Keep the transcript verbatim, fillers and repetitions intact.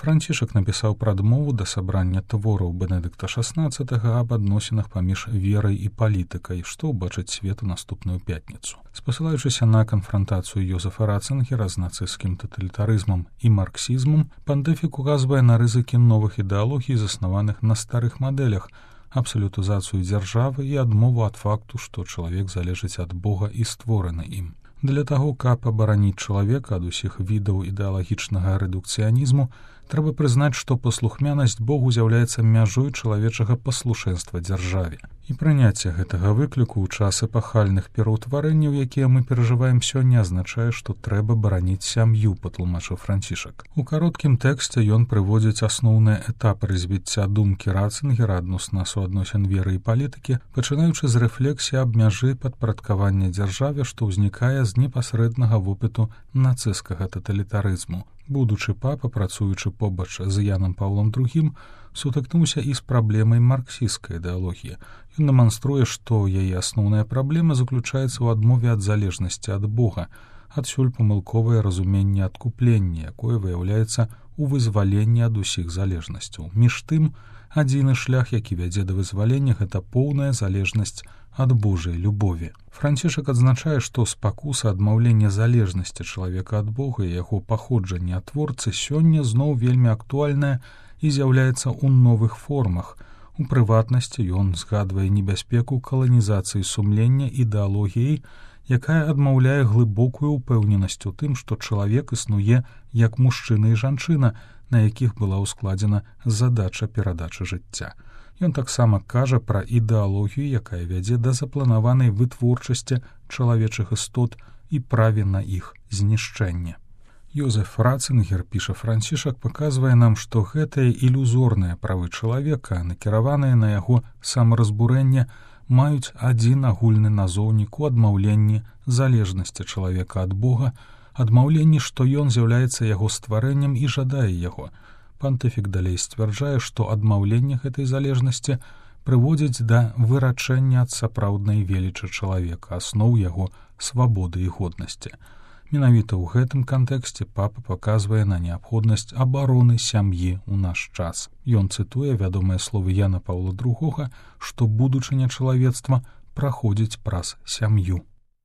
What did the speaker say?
Францішак напісаў прадмову да сабрання твораў Бенедыкта шаснаццатага аб адносінах паміж верай і палітыкай, што ўбачыць свет у наступную пятніцу. Спасылаючыся на канфрантацыю Йозефа Ратцынгера з нацысцкім таталітарызмам і марксізмам, пантэфік указвае на рызыкі новых ідэалогій, заснаваных на старых мадэлях, абсалютызацыю дзяржавы і адмову ад факту, што чалавек залежыць ад Бога і створаны ім. Для таго, каб абараніць чалавека ад усіх відаў ідэалагічнага рэдукцыянізму, трэба прызнаць, што паслухмянасць Богу з'яўляецца мяжой чалавечага паслушэнства дзяржаве. І прыняцце гэтага выкліку ў час эпахальных пераўтварэнняў, якія мы перажываем сёння, азначае, што трэба бараніць сям'ю, патлумачыў Францішак. У кароткім тэксце ён прыводзіць асноўныя этапы развіцця думкі Ратцынгера адносна суадносін веры і палітыкі, пачынаючы з рэфлексіі аб мяжы падпарадкавання дзяржаве, што ўзнікае з непасрэднага вопыту нацысцкага таталітарызму. Будучы папа, працуючы побач з Янам Паўлам другім, сутыкнуўся і з праблемай марксісцкай ідэалогіі. Ён дэманструе, што яе асноўная праблема заключаецца ў адмове ад залежнасці ад Бога, адсюль памылковае разуменне адкуплення, якое выяўляецца ў вызваленні ад усіх залежнасцяў. Між тым, адзіны шлях, які вядзе да вызвалення, гэта поўная залежнасць ад Божай любові. Францішак адзначае, што спакуса адмаўлення залежнасці чалавека ад Бога і яго паходжання ад творцы сёння зноў вельмі актуальная і з'яўляецца ў новых формах. У прыватнасці ён згадвае небяспеку каланізацыі сумлення ідэалогіяй, якая адмаўляе глыбокую ўпэўненасць у тым, што чалавек існуе як мужчына і жанчына, на якіх была ўскладзена задача перадачы жыцця. Ён таксама кажа пра ідэалогію, якая вядзе да запланаванай вытворчасці чалавечых істот і праве на іх знішчэнне. Йозеф Ратцынгер, піша Францішак, паказвае нам, што гэтыя ілюзорныя правы чалавека, накіраваныя на яго самаразбурэнне, маюць адзін агульны назоўнік у адмаўленні залежнасці чалавека ад Бога, адмаўленні, што ён з'яўляецца яго стварэннем і жадае яго. Пантыфік далей сцвярджае, што адмаўленне гэтай залежнасці прыводзіць да вырачэння ад сапраўднай велічы чалавека, асноў яго свабоды і годнасці. Менавіта ў гэтым кантэксце папа паказвае на неабходнасць абароны сям'і ў наш час. Ён цытуе вядомыя словы Яна Паўла другога, што будучыня чалавецтва праходзіць праз сям'ю.